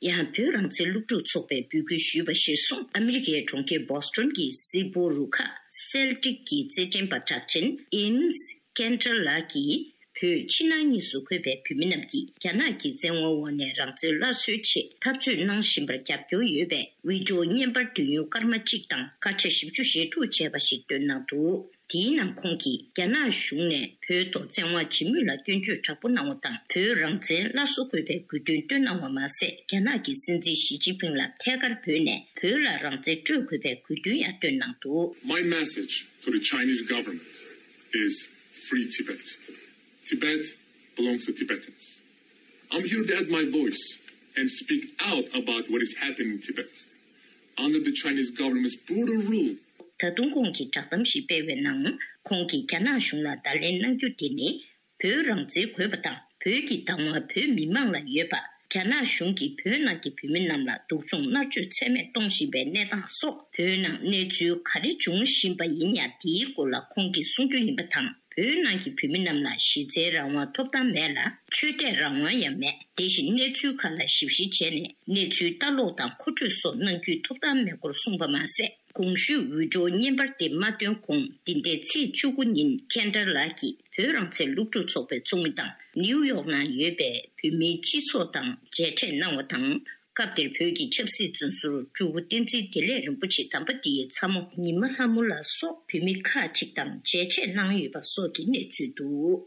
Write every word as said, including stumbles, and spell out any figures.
ཡང་བོད་རང་བཙན་སློབ་ཕྲུག་ཚོགས་པས་འབོད་སྐུལ་ཞུས་པ་གཞིར་བཟུང་། ཨ་མི་རི་ཀའི་གྲོང་ཁྱེར་བོ་སི་ཊོན་གྱི་གཟིགས་སྤོ་རུ་ཁག་སེལ་ཊིག་གི་རྩེད་འགྲན་པ་གྲགས་ཅན་ཨིན་ཀན་ཏྲ་ལགས་ཀྱིས། བོད་ཕྱི་ནང་གཉིས་སུ་འཁོད་པའི་བོད་མི་རྣམས་ཀྱིས་རྒྱ་ནག་གི་བཙན་དབང་འོག་ནས་རང་བཙན་སླར་གསོའི་ཆེད་འཐབ་རྩོད་གནང་བཞིན་པར་རྒྱབ་སྐྱོར་ཡོད་པའི་བི་ཌིའོ་བརྙན་པར་དུས་ཡུན་སྐར་མ་གཅིག་དང་སྐར་ཆ་བཞི་བཅུ་ཞེ་དྲུག་བྱས་པ་ཞིག་བཏོན་གནང་འདུག་དེའི་ནང་ཁོང་གིས་རྒྱ་ནག་གཞུང་ནས་བོད་ཐོག་བཙན་དབང་བྱེད་མུས་ལ་སྐྱོན་བརྗོད་དྲག་པོ་གནང་བ་དང་། བོད་རང་བཙན་སླར་གསོ་དགོས་པའི་དགོས་འདུན་བཏོན་གནང་བ་མ་ཟད། རྒྱ་ནག་གི་སྲིད་འཛིན་ཞི་ཅིན་ཕིང་ལ་ཐད་ཀར་བོས་ནས་བོད་ལ་རང་བཙན་སྤྲོད་དགོས་པའི་དགོས་འདུན་ཡང་བཏོན་གནང་འདུག My message to the Chinese government is free Tibet. Tibet belongs to Tibetans. I'm here to add my voice and speak out about what is happening in Tibet under the Chinese government's brutal rule. ད་དུང་ཁོང་གིས་བསྒྲགས་གཏམ་ཞིག་སྤེལ་བའི་ནང་། ཁོང་གིས་རྒྱ་ནག་གཞུང་ལ་བརྡ་ལན་གནང་རྒྱུ་དེ་ནི། བོད་རང་བཙན་དགོས་པ་དང་། བོད་ཀྱི་བདག་དབང་བོད་མི་མང་ལ་ཡོད་པ། རྒྱ་ནག་གཞུང་གིས་བོད་ནང་གི་བོད་མི་རྣམས་ལ་སྡུག་སྦྱོང་མནར་གཅོད་ཚད་མེད་གཏོང་བཞིན་པའི་གནས་སྟངས་སོགས། བོད་ནང་གནས་ཚུལ་ག་རེ་འབྱུང་བཞིན་པ་ཡིན་ཡང་། དེའི་སྐོར་ལ་ཁོང་གིས་གསུང་རྒྱུ་ཡིན་པ་དང་། བོད་ནང་གི་བོད་མི་རྣམས་ལ་གཞི་རྩའི་རང་དབང་ཐོབ་ཐང་མེད་ལ། ཆོས་དད་རང་དབང་ཡང་མེད། དེ་བཞིན་གནས་ཚུལ་ཁག་ལ་ཞིབ་བཤེར་བྱས་ནས་གནས་ཚུལ་ལྟ་ཀློག་དང་མཁོ་སྤྲོད་སོགས་གནང་རྒྱུའི་ཐོབ་ཐང་མེད་སྐོར་གསུངས་པ་མ་ཟད། གོང་ཞུས་བི་ཌིའོ་བརྙན་པར་དེ་མ་བཏོན་གོང་། འདི་ཟླའི་ཚེས་བཅུ་དགུ་ཉིན་ཁན་ཏར་ལགས་ཀྱིས་བོད་རང་བཙན་སློབ་ཕྲུག་ཚོགས་པའི་ཚོགས་མི་དང་ནིའུ་ཡོག་ནང་ཡོད་པའི་བོད་མིའི་སྤྱི་ཚོགས་དང་མཇལ་འཕྲད་གནང་བ་དང་། སྐབས་དེར་བོད་ཀྱི་ཆབ་སྲིད་བཙོན་ཟུར་སྤྲུལ་སྐུ་བསྟན་འཛིན་བདེ་ལེགས་རིན་པོ་ཆེ་དམ་པ་འདིའི་ཚ་མོ་ཉི་མ་ལྷ་མོ་ལགས་སོགས་བོད་མི་ཁག་ཅིག་དང་མཇལ་འཕྲད་གནང་ཡོད་པ་སོགས་ཀྱི་གནས་ཚུལ་འདུག